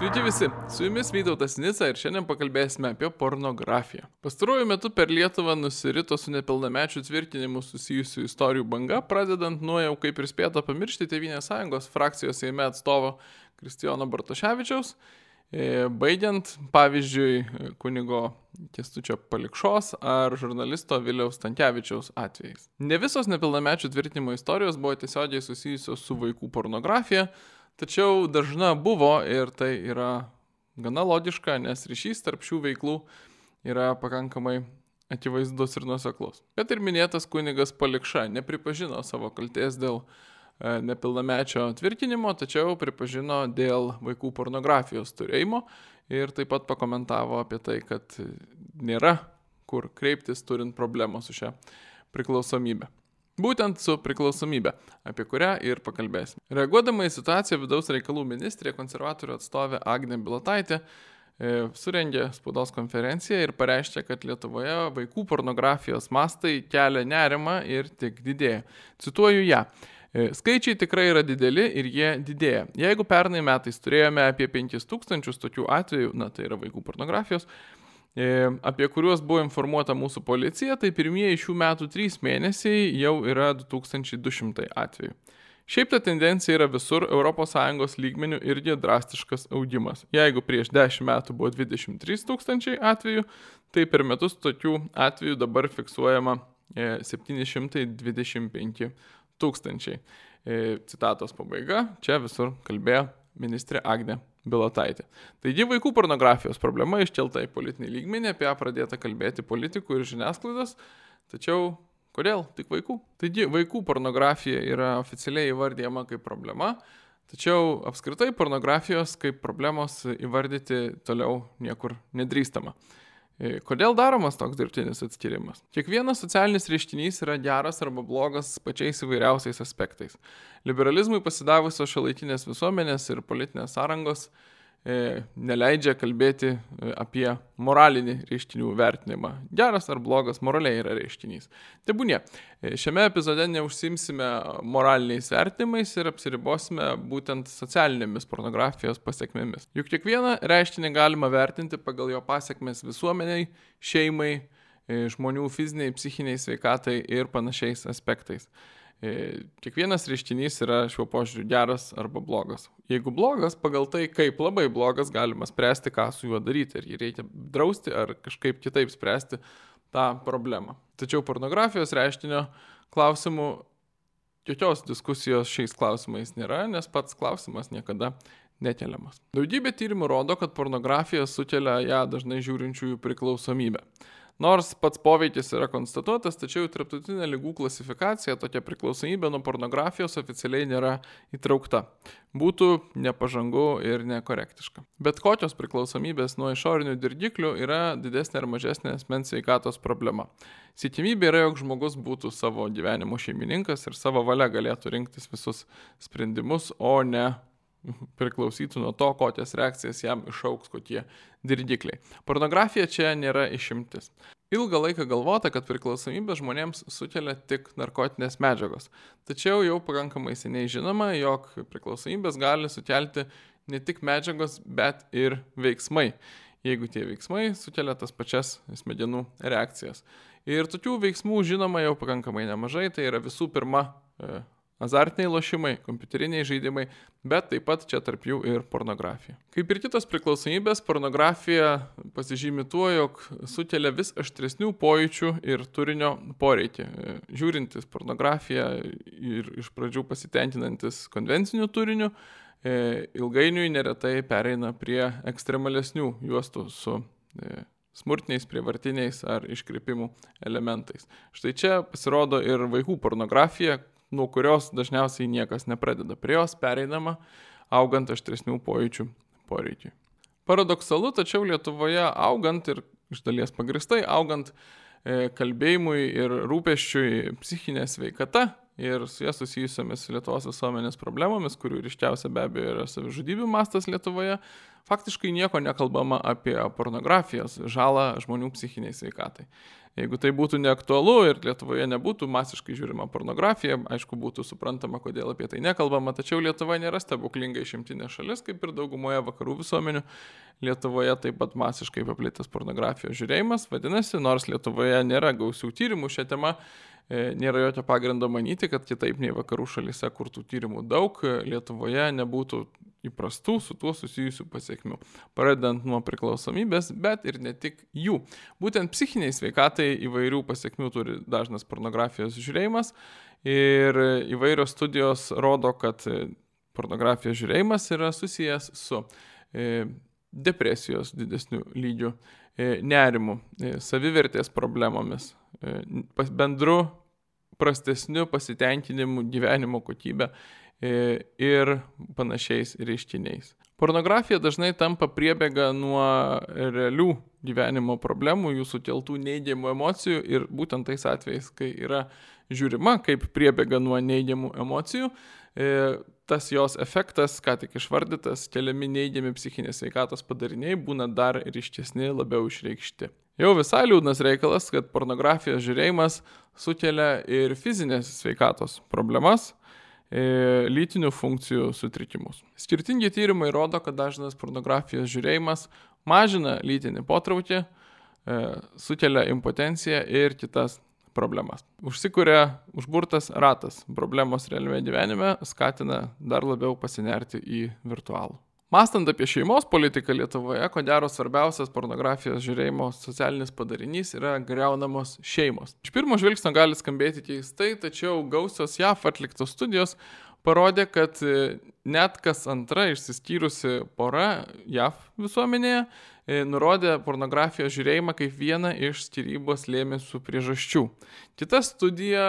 Sveiki visi, su jumis Vytautas Nica ir šiandien pakalbėsime apie pornografiją. Pastaruoju metu per Lietuvą nusirito su nepilnamečių tvirtinimu susijusių istorijų banga, pradedant nuo jau kaip ir spėta pamiršti Tėvynės Sąjungos frakcijos Seime atstovo Kristijono Bartoševičiaus, baigiant pavyzdžiui kunigo Kęstučio Palikšos ar žurnalisto Viliaus Stankevičiaus atvejais. Ne visos nepilnamečių tvirtinimo istorijos buvo tiesiogiai susijusios su vaikų pornografija, tačiau dažna buvo ir tai yra gana logiška, nes ryšys tarp šių veiklų yra pakankamai akivaizdus ir nuoseklus. Kad ir minėtas kunigas Palikša nepripažino savo kaltės dėl nepilnamečio tvirtinimo, tačiau pripažino dėl vaikų pornografijos turėjimo ir taip pat pakomentavo apie tai, kad nėra kur kreiptis turint problemą su šia priklausomybė. Būtent su priklausomybė, apie kurią ir pakalbėsime. Reaguodama į situaciją, vidaus reikalų ministrė, konservatorių atstovė Agnė Bilotaitė surengė spaudos konferenciją ir pareiškė, kad Lietuvoje vaikų pornografijos mastai kelia nerimą ir tik didėja. Cituoju ją. Skaičiai tikrai yra dideli ir jie didėja. Jeigu pernai metais turėjome apie 5000 tokių atvejų, tai yra vaikų pornografijos, apie kuriuos buvo informuota mūsų policija, tai pirmieji šių metų 3 mėnesiai jau yra 2200 atvejų. Šiaip ta tendencija yra visur ES lygmenių irgi drastiškas augimas. Jeigu prieš 10 metų buvo 23 000 atvejų, tai per metus tokių atvejų dabar fiksuojama 725 000. Citatos pabaiga, čia visur kalbėjo ministrė Agnė Bilotaitė. Taigi vaikų pornografijos problema iškelta į politinį lygmenį, apie ją pradėta kalbėti politikų ir žiniasklaidos, tačiau kodėl tik vaikų? Taigi vaikų pornografija yra oficialiai įvardyjama kaip problema, tačiau apskritai pornografijos kaip problemos įvardyti toliau niekur nedrįstama. Kodėl daromas toks dirbtinis atskirimas? Kiekvienas socialinis reiškinys yra geras arba blogas pačiais įvairiausiais aspektais. Liberalizmui pasidavusios šiuolaikinės visuomenės ir politinės sąrangos neleidžia kalbėti apie moralinį reiškinių vertinimą. Geras ar blogas moraliai yra reiškinys. Tebūnie, šiame epizode neužsimsime moraliniais vertinimais ir apsiribosime būtent socialinėmis pornografijos pasiekmėmis. Juk kiekvieną reiškinį galima vertinti pagal jo pasiekmes visuomeniai, šeimai, žmonių fiziniai, psichiniai sveikatai ir panašiais aspektais. Kiekvienas reiškinys yra šiuo požiūriu geras arba blogas. Jeigu blogas, pagal tai, kaip labai blogas, galima spręsti, ką su juo daryti. Ar jį reikia drausti, ar kažkaip kitaip spręsti tą problemą. Tačiau pornografijos reiškinio klausimų, jokios diskusijos šiais klausimais nėra, nes pats klausimas niekada nekeliamas. Daugybė tyrimų rodo, kad pornografija sukelia ją dažnai žiūrinčiųjų priklausomybę. Nors pats poveikis yra konstatuotas, tačiau tarptautinė ligų klasifikacija tokia priklausomybė nuo pornografijos oficialiai nėra įtraukta. Būtų nepažangu ir nekorektiška. Bet kokios priklausomybės nuo išorinių dirgiklių yra didesnė ar mažesnė asmens sveikatos problema. Siekiamybė yra, jog žmogus būtų savo gyvenimo šeimininkas ir savo valia galėtų rinktis visus sprendimus, o ne priklausytų nuo to, kokias reakcijas jam išauks kokie dirgikliai. Pornografija čia nėra išimtis. Ilgą laiką galvota, kad priklausomybė žmonėms sukelia tik narkotinės medžiagos. Tačiau jau pakankamai seniai žinoma, jog priklausomybės gali sukelti ne tik medžiagos, bet ir veiksmai, jeigu tie veiksmai sukelia tas pačias smegenų reakcijas. Ir tokių veiksmų žinoma jau pakankamai nemažai, tai yra visų pirma azartiniai lošimai, kompiuteriniai žaidimai, bet taip pat čia tarp jų ir pornografija. Kaip ir kitos priklausomybės, pornografija pasižymi tuo, jog sukelia vis aštresnių pojūčių ir turinio poreikį. Žiūrintis pornografiją ir iš pradžių pasitenkinantis konvenciniu turiniu, ilgainiui neretai pereina prie ekstremalesnių juostų su smurtiniais, prievartiniais ar iškreipimų elementais. Štai čia pasirodo ir vaikų pornografija, nuo kurios dažniausiai niekas nepradeda. Prie jos pereinama augant aštresnių pojūčių poreikiui. Paradoksalu, tačiau Lietuvoje augant ir iš dalies pagristai augant kalbėjimui ir rūpesčiui psichinė sveikata, ir su jie susijusiomis Lietuvos visuomenės problemomis, kurių ryškiausia be abejo yra savižudybių mastas Lietuvoje, faktiškai nieko nekalbama apie pornografijos žalą žmonių psichiniai sveikatai. Jeigu tai būtų neaktualu ir Lietuvoje nebūtų masiškai žiūrima pornografija, aišku, būtų suprantama, kodėl apie tai nekalbama, tačiau Lietuva nėra stebuklinga išimtinė šalis, kaip ir daugumoje vakarų visuomenių. Lietuvoje taip pat masiškai paplitęs pornografijos žiūrėjimas, vadinasi, nors Lietuvoje nėra gausių tyrimų šią temą, nėra jokio pagrindo manyti, kad kitaip nei vakarų šalyse, kur tų tyrimų daug, Lietuvoje nebūtų įprastų su tuo susijusių pasiekmių, pradedant nuo priklausomybės, bet ir ne tik jų. Būtent psichiniai sveikatai įvairių pasiekmių turi dažnas pornografijos žiūrėjimas ir įvairios studijos rodo, kad pornografijos žiūrėjimas yra susijęs su depresijos didesnių lygių, nerimu, savivertės problemomis, bendru prastesniu pasitenkinimu gyvenimo kokybę ir panašiais reiškiniais. Pornografija dažnai tampa priebėga nuo realių gyvenimo problemų, jų sukeltų neigiamų emocijų ir būtent tais atvejais, kai yra žiūrima kaip priebėga nuo neigiamų emocijų, tas jos efektas, ką tik išvardytas, keliami neigiami psichinės sveikatos padariniai būna dar ryškesni, labiau išreikšti. Jau visai liūdnas reikalas, kad pornografijos žiūrėjimas sukelia ir fizinės sveikatos problemas, lytinių funkcijų sutrikimus. Skirtingi tyrimai rodo, kad dažnas pornografijos žiūrėjimas mažina lytinį potraukį, sukelia impotenciją ir kitas problemas. Užsikuria užburtas ratas, problemos realiame gyvenime skatina dar labiau pasinerti į virtualų. Mąstant apie šeimos politiką Lietuvoje, ko gero svarbiausias pornografijos žiūrėjimo socialinis padarinys yra griaunamos šeimos. Iš pirmo žvilgsnio gali skambėti keistai, tačiau gausios JAV atliktos studijos parodė, kad net kas antra išsiskyrusi pora JAV visuomenėje nurodė pornografijos žiūrėjimą kaip vieną iš skyrybos lėmėsių priežasčių. Kita studija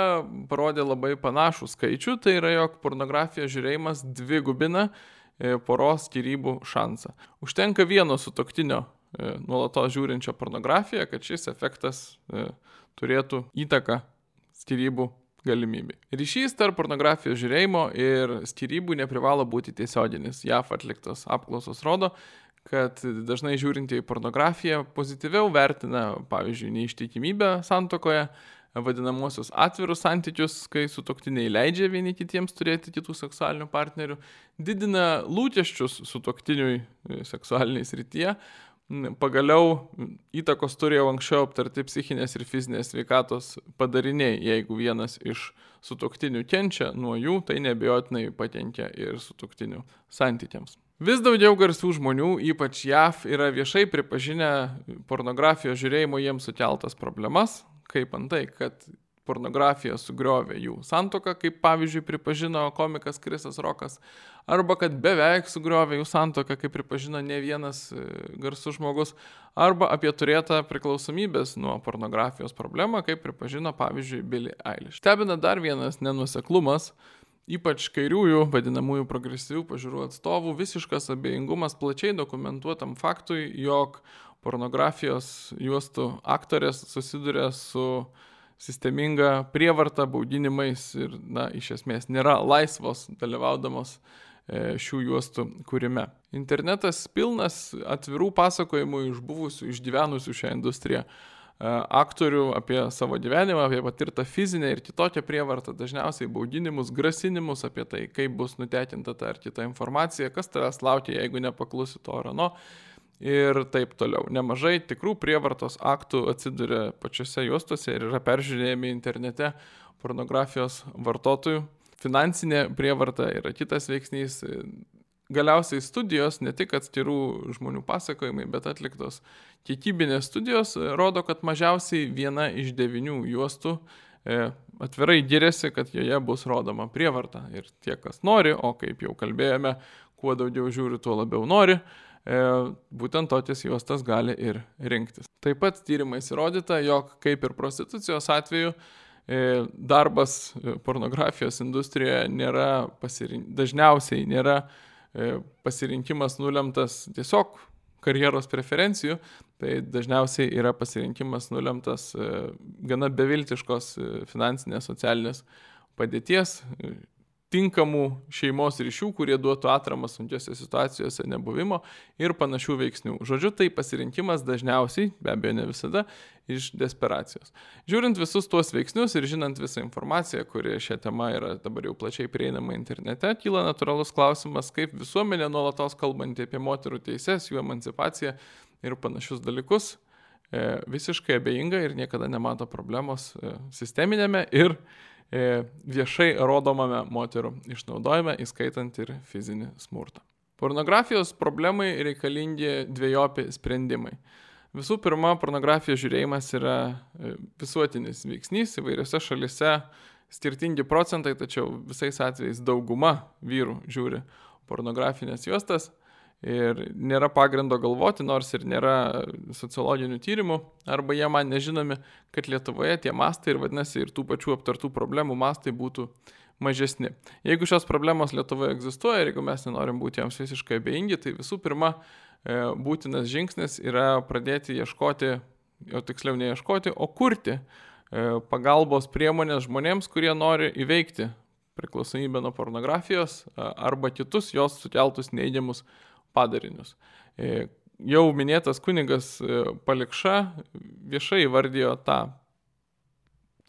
parodė labai panašų skaičių, tai yra, jog pornografijos žiūrėjimas dvigubina poros skyrybų šansą. Užtenka vieno sutuoktinio nuolatos žiūrinčio pornografiją, kad šis efektas turėtų įtaką skyrybų galimybei. Ryšys tarp pornografijos žiūrėjimo ir skyrybų neprivalo būti tiesioginis. JAV atliktos apklausos rodo, kad dažnai žiūrintieji pornografiją pozityviau vertina, pavyzdžiui, neištikimybę santuokoje, vadinamosius atvirus santykius, kai sutuoktiniai leidžia vieni kitiems turėti kitų seksualinių partnerių, didina lūkesčius sutuoktiniui seksualiniai srityje. Pagaliau įtakos turėjo anksčiau aptarti psichinės ir fizinės sveikatos padariniai. Jeigu vienas iš sutuoktinių kenčia nuo jų, tai neabejotinai pakenkia ir sutuoktinių santykiams. Vis daugiau garsių žmonių, ypač JAV, yra viešai pripažinę pornografijos žiūrėjimo jiems sukeltas problemas, kaip antai, kad pornografija sugriovė jų santuoką, kaip pavyzdžiui pripažino komikas Krisas Rokas, arba kad beveik sugriovė jų santuoką, kaip pripažino ne vienas garsus žmogus, arba apie turėtą priklausomybės nuo pornografijos problemą, kaip pripažino pavyzdžiui Billie Eilish. Stebina dar vienas nenuoseklumas, ypač kairiųjų, vadinamųjų progresyvių pažiūrų atstovų, visiškas abejingumas plačiai dokumentuotam faktui, jog pornografijos juostų aktorės susiduria su sisteminga prievarta, baudinimais ir, iš esmės nėra laisvos dalyvaudamos šių juostų kūrime. Internetas pilnas atvirų pasakojimų iš buvusių, išgyvenusių šią industriją aktorių apie savo gyvenimą, apie patirtą fizinę ir kitokią prievartą, dažniausiai baudinimus, grasinimus apie tai, kaip bus nutekinta ta ar kita informacija, kas tavęs laukia, jeigu nepaklusi to ar ano. Ir taip toliau. Nemažai tikrų prievartos aktų atsiduria pačiose juostose ir yra peržiūrėjami internete pornografijos vartotojų. Finansinė prievarta yra kitas veiksnys. Galiausiai studijos, ne tik atskirų žmonių pasakojimai, bet atliktos kiekybinės studijos rodo, kad mažiausiai 1 iš 9 juostų atvirai giriasi, kad joje bus rodoma prievarta. Ir tie, kas nori, o kaip jau kalbėjome, kuo daugiau žiūri, tuo labiau nori, būtent tokias juostas gali ir rinktis. Taip pat tyrimais įrodyta, jog kaip ir prostitucijos atveju, darbas pornografijos industrijoje dažniausiai nėra pasirinkimas nulemtas tiesiog karjeros preferencijų, tai dažniausiai yra pasirinkimas nulemtas gana beviltiškos finansinės, socialinės padėties, tinkamų šeimos ryšių, kurie duotų atramą sunkiose situacijose nebuvimo ir panašių veiksnių. Žodžiu, tai pasirinkimas dažniausiai, be abejo ne visada, iš desperacijos. Žiūrint visus tuos veiksnius ir žinant visą informaciją, kuri šią temą yra dabar jau plačiai prieinama internete, kyla natūralus klausimas, kaip visuomenė nuolatos kalbanti apie moterų teises, jų emancipaciją ir panašius dalykus, visiškai abejinga ir niekada nemato problemos sisteminėme ir viešai rodomame moterų išnaudojime, įskaitant ir fizinį smurtą. Pornografijos problemai reikalingi dvejopi sprendimai. Visų pirma, pornografijos žiūrėjimas yra visuotinis veiksnys, įvairiose šalise skirtingi procentai, tačiau visais atvejais dauguma vyrų žiūri pornografinės juostas. Ir nėra pagrindo galvoti, nors ir nėra sociologinių tyrimų, arba jie man nežinomi, kad Lietuvoje tie mastai ir vadinasi ir tų pačių aptartų problemų mastai būtų mažesni. Jeigu šios problemos Lietuvoje egzistuoja ir jeigu mes nenorim būti joms visiškai abejingi, tai visų pirma būtinas žingsnis yra pradėti ieškoti, o tiksliau neieškoti, o kurti pagalbos priemonės žmonėms, kurie nori įveikti priklausomybę nuo pornografijos arba kitus jos sukeltus neigiamus padarinius. Jau minėtas kunigas Palikša viešai įvardijo tą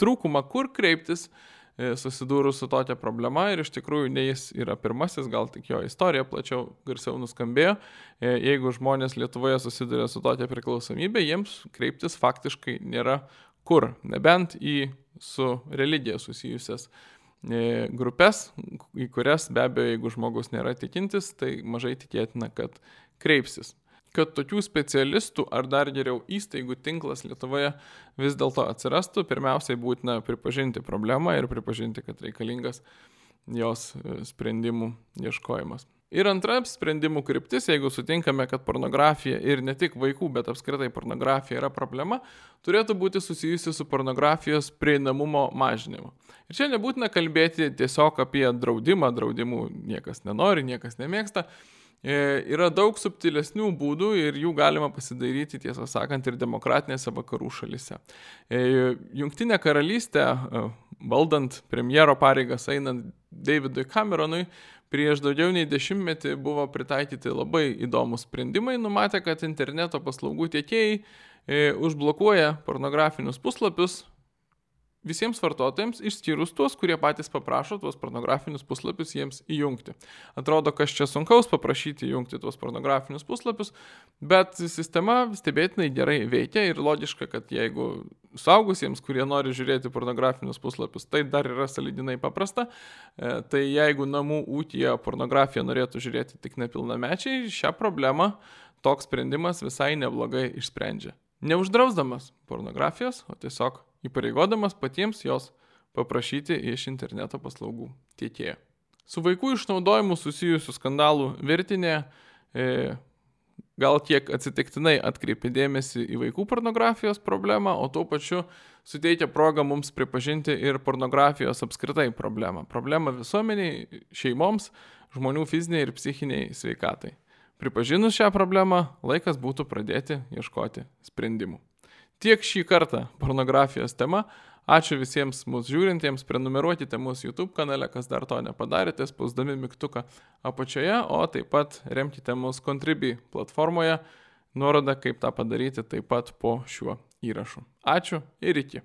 trūkumą, kur kreiptis susidūrus su tokia problema ir iš tikrųjų ne jis yra pirmasis, gal tik jo istorija plačiau garsiau nuskambėjo. Jeigu žmonės Lietuvoje susiduria su tokia priklausomybė, jiems kreiptis faktiškai nėra kur, nebent į su religija susijusias grupės, į kurias be abejo, jeigu žmogus nėra tikintis, tai mažai tikėtina, kad kreipsis. Kad tokių specialistų ar dar geriau įstaigų tinklas Lietuvoje vis dėlto atsirastų, pirmiausiai būtina pripažinti problemą ir pripažinti, kad reikalingas jos sprendimų ieškojimas. Ir antra sprendimų kryptis, jeigu sutinkame, kad pornografija ir ne tik vaikų, bet apskritai pornografija yra problema, turėtų būti susijusi su pornografijos prieinamumo mažinimu. Ir čia nebūtina kalbėti tiesiog apie draudimą, draudimų niekas nenori, niekas nemėgsta. Yra daug subtilesnių būdų ir jų galima pasidaryti, tiesą sakant, ir demokratinėse vakarų šalise. Jungtinė karalystė, valdant premjero pareigas einant Davidui Cameronui, prieš daugiau nei 10 metų buvo pritaikyti labai įdomus sprendimai, numatė, kad interneto paslaugų tiekėjai užblokuoja pornografinius puslapius visiems vartotojams, išskyrus tuos, kurie patys paprašo tuos pornografinius puslapius jiems įjungti. Atrodo, kas čia sunkaus paprašyti įjungti tuos pornografinius puslapius, bet sistema stebėtinai gerai veikia ir logiška, kad jeigu suaugusiems, kurie nori žiūrėti pornografinius puslapius, tai dar yra sąlyginai paprasta, tai jeigu namų ūkyje pornografiją norėtų žiūrėti tik nepilnamečiai, šią problemą toks sprendimas visai neblogai išsprendžia. Neuždrausdamas pornografijos, o tiesiog įpareigodamas patiems jos paprašyti iš interneto paslaugų tiekėjo. Su vaikų išnaudojimu susijusių skandalų virtinė gal kiek atsitiktinai atkreipia dėmesį į vaikų pornografijos problemą, o tuo pačiu suteikia progą mums pripažinti ir pornografijos apskritai problemą. Problemą visuomeniai, šeimoms, žmonių fiziniai ir psichiniai sveikatai. Pripažinus šią problemą, laikas būtų pradėti ieškoti sprendimų. Tiek šį kartą pornografijos tema. Ačiū visiems mūsų žiūrintiems, prenumeruokite mūsų YouTube kanale, kas dar to nepadarėte, spausdami mygtuką apačioje, o taip pat remkite mūsų Contribui platformoje. Nuoroda, kaip tą padaryti, taip pat po šiuo įrašu. Ačiū ir iki.